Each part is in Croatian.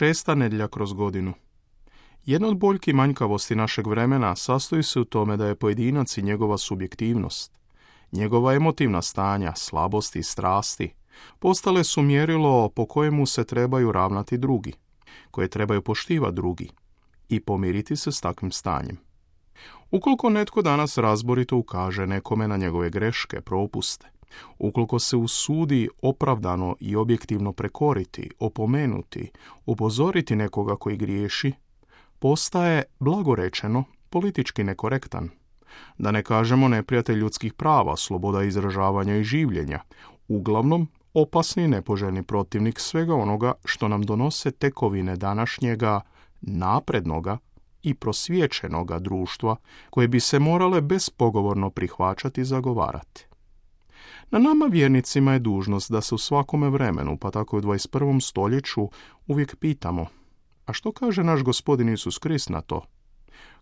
Šesta nedjelja kroz godinu. Jedna od boljki manjkavosti našeg vremena sastoji se u tome da je pojedinac i njegova subjektivnost, njegova emotivna stanja, slabosti i strasti postale su mjerilo po kojemu se trebaju ravnati drugi, koje trebaju poštivati drugi i pomiriti se s takvim stanjem. Ukoliko netko danas razborito ukaže nekome na njegove greške, propuste, ukoliko se usudi opravdano i objektivno prekoriti, opomenuti, upozoriti nekoga koji griješi, postaje, blagorečeno, politički nekorektan. Da ne kažemo neprijatelj ljudskih prava, sloboda izražavanja i življenja, uglavnom opasni i nepoželjni protivnik svega onoga što nam donose tekovine današnjega naprednoga i prosvjećenoga društva koje bi se morale bespogovorno prihvaćati i zagovarati. Na nama vjernicima je dužnost da se u svakome vremenu, pa tako i u 21. stoljeću, uvijek pitamo: a što kaže naš Gospodin Isus Krist na to?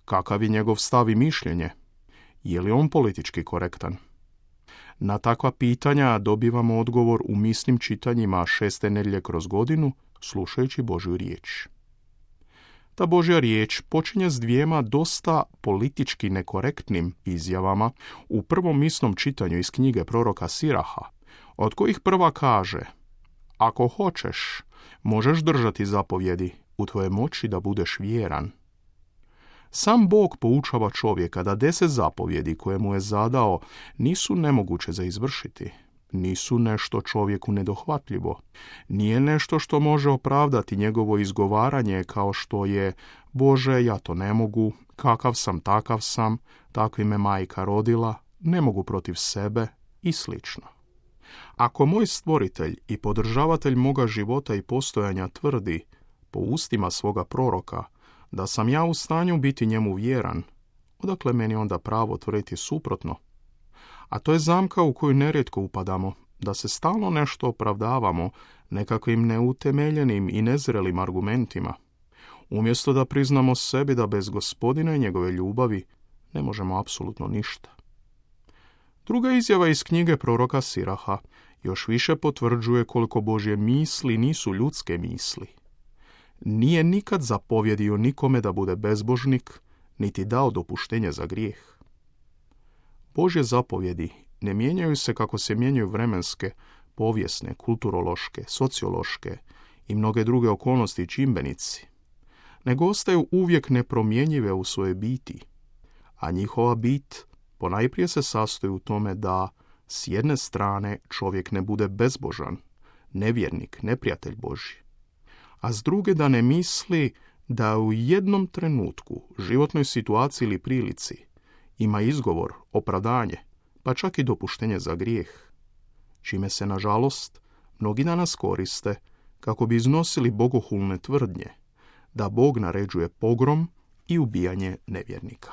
Kakav je njegov stav i mišljenje? Je li on politički korektan? Na takva pitanja dobivamo odgovor u misnim čitanjima šeste nedjelje kroz godinu, slušajući Božju riječ. Ta Božja riječ počinje s dvijema dosta politički nekorektnim izjavama u prvom misnom čitanju iz knjige proroka Siraha, od kojih prva kaže: ako hoćeš, možeš držati zapovjedi, u tvojoj moći da budeš vjeran. Sam Bog poučava čovjeka da 10 zapovjedi koje mu je zadao nisu nemoguće za izvršiti, nisu nešto čovjeku nedohvatljivo, nije nešto što može opravdati njegovo izgovaranje kao što je: Bože, ja to ne mogu, kakav sam, takav sam, takvi me majka rodila, ne mogu protiv sebe i slično. Ako moj stvoritelj i podržavatelj moga života i postojanja tvrdi, po ustima svoga proroka, da sam ja u stanju biti njemu vjeran, odakle meni onda pravo tvrditi suprotno? A to je zamka u koju nerijetko upadamo, da se stalno nešto opravdavamo nekakvim neutemeljenim i nezrelim argumentima, umjesto da priznamo sebi da bez Gospodina i njegove ljubavi ne možemo apsolutno ništa. Druga izjava iz knjige proroka Siraha još više potvrđuje koliko Božje misli nisu ljudske misli. Nije nikad zapovjedio nikome da bude bezbožnik, niti dao dopuštenje za grijeh. Božje zapovjedi ne mijenjaju se kako se mijenjaju vremenske, povijesne, kulturološke, sociološke i mnoge druge okolnosti i čimbenici, nego ostaju uvijek nepromjenjive u svojoj biti, a njihova bit ponajprije se sastoji u tome da s jedne strane čovjek ne bude bezbožan, nevjernik, neprijatelj Božji, a s druge da ne misli da u jednom trenutku, životnoj situaciji ili prilici ima izgovor, opravdanje, pa čak i dopuštenje za grijeh, čime se, nažalost, mnogi danas koriste kako bi iznosili bogohulne tvrdnje da Bog naređuje pogrom i ubijanje nevjernika.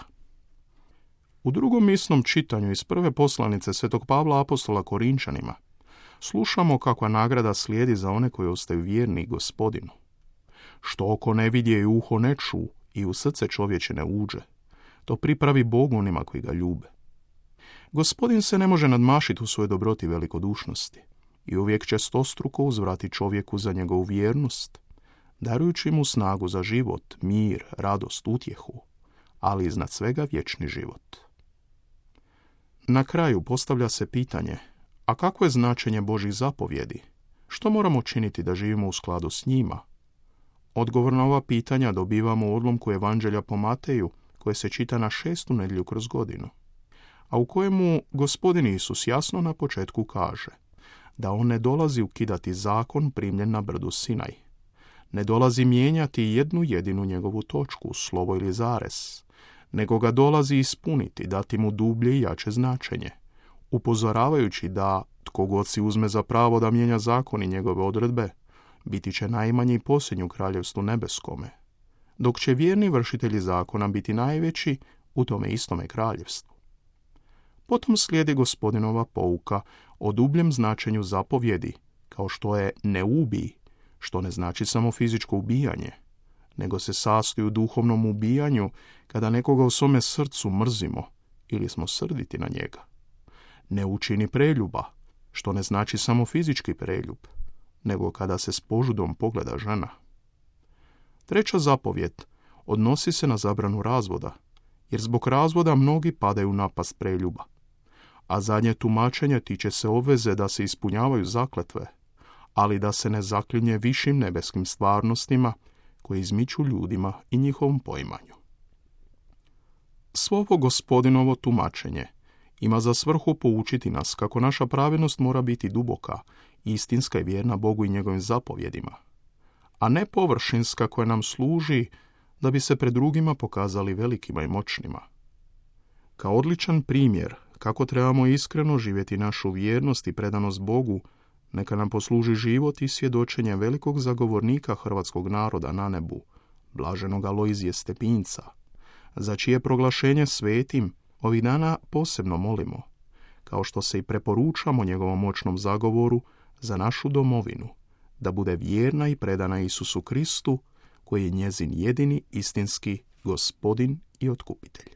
U drugom misnom čitanju iz prve poslanice svetog Pavla apostola Korinčanima slušamo kakva nagrada slijedi za one koji ostaju vjerni Gospodinu. Što oko ne vidje i uho ne ču i u srce čovječe ne uđe, to pripravi Bog onima koji ga ljube. Gospodin se ne može nadmašiti u svojoj dobroti i velikodušnosti i uvijek će stostruko uzvrati čovjeku za njegovu vjernost, darujući mu snagu za život, mir, radost, utjehu, ali iznad svega vječni život. Na kraju postavlja se pitanje: a kakvo je značenje Božjih zapovjedi? Što moramo činiti da živimo u skladu s njima? Odgovor na ova pitanja dobivamo u odlomku Evanđelja po Mateju, koje se čita na 6. nedjelju kroz godinu, a u kojemu Gospodin Isus jasno na početku kaže da on ne dolazi ukidati zakon primljen na brdu Sinaj, ne dolazi mijenjati jednu jedinu njegovu točku, slovo ili zarez, nego ga dolazi ispuniti, dati mu dublje i jače značenje, upozoravajući da tko god si uzme za pravo da mijenja zakon i njegove odredbe, biti će najmanji i posljednji u kraljevstvu nebeskome, dok će vjerni vršitelji zakona biti najveći u tome istome kraljevstvu. Potom slijedi Gospodinova pouka o dubljem značenju zapovjedi, kao što je ne ubij, što ne znači samo fizičko ubijanje, nego se sastoji u duhovnom ubijanju kada nekoga u svome srcu mrzimo ili smo srditi na njega. Ne učini preljuba, što ne znači samo fizički preljub, nego kada se s požudom pogleda žena. Treća zapovijed odnosi se na zabranu razvoda, jer zbog razvoda mnogi padaju u napast preljuba. A zadnje tumačenje tiče se obveze da se ispunjavaju zakletve, ali da se ne zaklinje višim nebeskim stvarnostima koje izmiču ljudima i njihovom poimanju. Svo ovo Gospodinovo tumačenje ima za svrhu poučiti nas kako naša pravednost mora biti duboka, istinska i vjerna Bogu i njegovim zapovjedima, a ne površinska koja nam služi da bi se pred drugima pokazali velikima i moćnima. Kao odličan primjer kako trebamo iskreno živjeti našu vjernost i predanost Bogu, neka nam posluži život i svjedočenje velikog zagovornika hrvatskog naroda na nebu, blaženog Alojzije Stepinca, za čije proglašenje svetim ovih dana posebno molimo, kao što se i preporučamo njegovom moćnom zagovoru za našu domovinu, da bude vjerna i predana Isusu Kristu, koji je njezin jedini istinski Gospodin i Otkupitelj.